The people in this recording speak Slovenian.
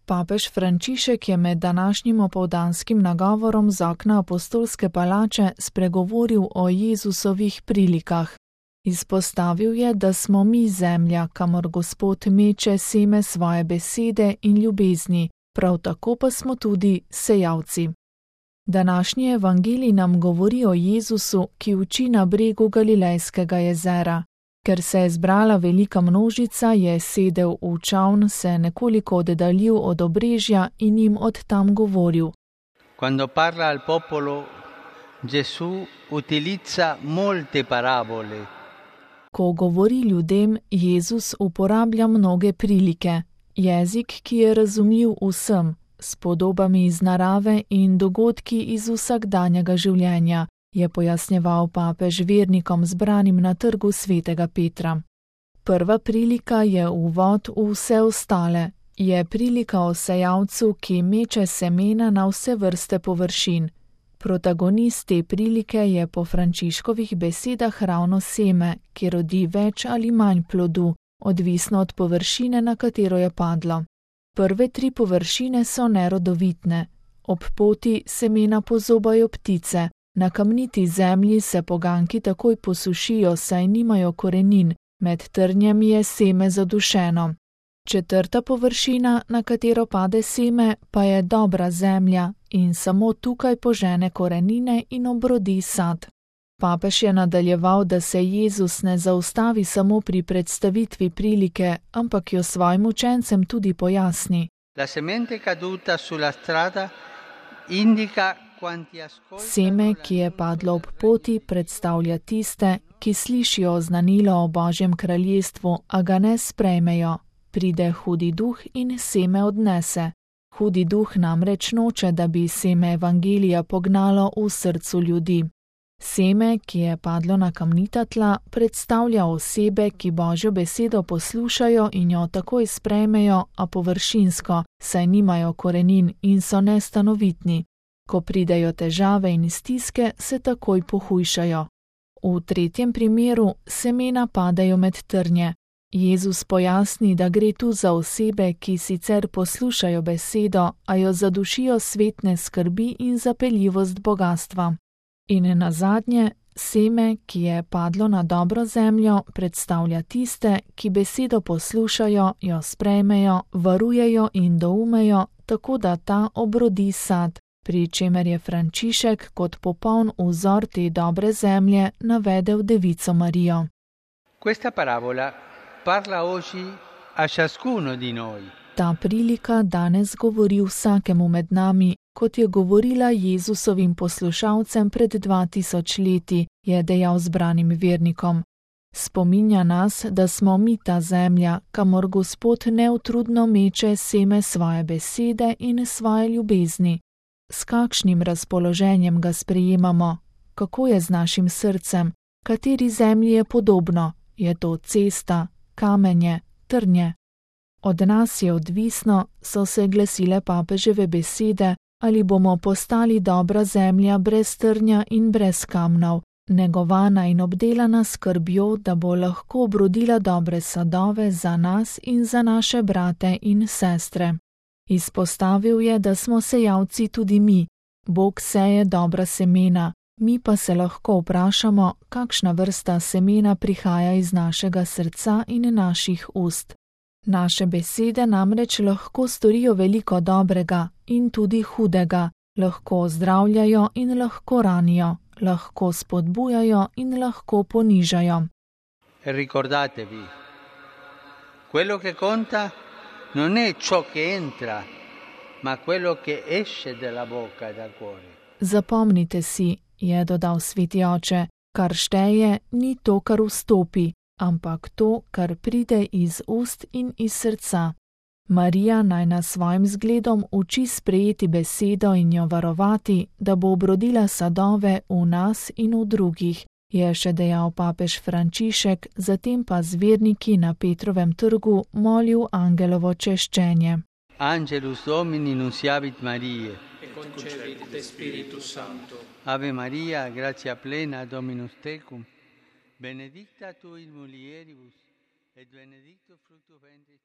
Papež Frančišek je med današnjim opoldanskim nagovorom z okna apostolske palače spregovoril o Jezusovih prilikah. Izpostavil je, da smo mi zemlja, kamor Gospod meče seme svoje besede in ljubezni, prav tako pa smo tudi sejalci. Današnji evangelij nam govori o Jezusu, ki uči na bregu Galilejskega jezera. Ker se je zbrala velika množica, je sedel v čoln, se nekoliko oddaljil od obrežja in jim od tam govoril. Quando parla al popolo, Gesù utilizza molte parabole. Ko govori ljudem, Jezus uporablja mnoge prilike, jezik, ki je razumljiv vsem, s podobami iz narave in dogodki iz vsakdanjega življenja, je pojasnjeval papež vernikom zbranim na trgu svetega Petra. Prva prilika je uvod v vse ostale, je prilika o sejalcu, ki meče semena na vse vrste površin. Protagonist te prilike je po Frančiškovih besedah ravno seme, ki rodi več ali manj plodu, odvisno od površine, na katero je padlo. Prve 3 površine so nerodovitne, ob poti semena pozobajo ptice, na kamniti zemlji se poganjki takoj posušijo, saj nimajo korenin, med trnjem je seme zadušeno. 4. površina, na katero pade seme, pa je dobra zemlja in samo tukaj požene korenine in obrodi sad. Papež je nadaljeval, da se Jezus ne zaustavi samo pri predstavitvi prilike, ampak jo svojim učencem tudi pojasni. La semente caduta sulla strada indica quanti ascoltano. Seme, ki je padlo ob poti, predstavlja tiste, ki slišijo oznanilo o Božjem kraljestvu, a ga ne sprejmejo. Pride hudi duh in seme odnese. Hudi duh namreč noče, da bi seme evangelija pognalo v srcu ljudi. Seme, ki je padlo na kamnita tla, predstavlja osebe, ki Božjo besedo poslušajo in jo takoj sprejmejo, a površinsko, saj nimajo korenin in so nestanovitni. Ko pridejo težave in stiske, se takoj pohujšajo. V 3. primeru semena padajo med trnje. Jezus pojasni, da gre tu za osebe, ki sicer poslušajo besedo, a jo zadušijo svetne skrbi in zapeljivost bogastva. In nazadnje, seme, ki je padlo na dobro zemljo, predstavlja tiste, ki besedo poslušajo, jo sprejmejo, varujejo in doumejo, tako da ta obrodi sad, pri čemer je Frančišek kot popoln vzor te dobre zemlje navedel Devico Marijo. Questa parabola parla oggi a ciascuno di noi. Ta prilika danes govori vsakemu med nami, kot je govorila Jezusovim poslušalcem pred 2000 leti, je dejal zbranim vernikom. Spominja nas, da smo mi ta zemlja, kamor Gospod neutrudno meče seme svoje besede in svoje ljubezni. S kakšnim razpoloženjem ga sprejemamo? Kako je z našim srcem? Kateri zemlji je podobno? Je to cesta, kamenje, trnje? Od nas je odvisno, so se glasile papeževe besede, ali bomo postali dobra zemlja brez trnja in brez kamnov, negovana in obdelana skrbjo, da bo lahko obrodila dobre sadove za nas in za naše brate in sestre. Izpostavil je, da smo sejalci tudi mi. Bog seje dobra semena, mi pa se lahko vprašamo, kakšna vrsta semena prihaja iz našega srca in naših ust. Naše besede namreč lahko storijo veliko dobrega in tudi hudega, lahko ozdravljajo in lahko ranijo, lahko spodbujajo in lahko ponižajo. Ricordatevi, quello che conta non è ciò che entra, ma quello che esce dalla bocca e dal cuore. Zapomnite si, je dodal sveti oče, kar šteje ni to, kar vstopi, ampak to, kar pride iz ust in iz srca. Marija naj nas svojim zgledom uči sprejeti besedo in jo varovati, da bo obrodila sadove v nas in v drugih, je še dejal papež Frančišek, zatem pa z verniki na Petrovem trgu molil angelovo češčenje. Angelus Domini nunciavit Mariae, e concepit de Spiritus Sancto. Ave Maria, gratia plena, Dominus tecum, benedicta tu in mulieribus, et benedictus fructus ventris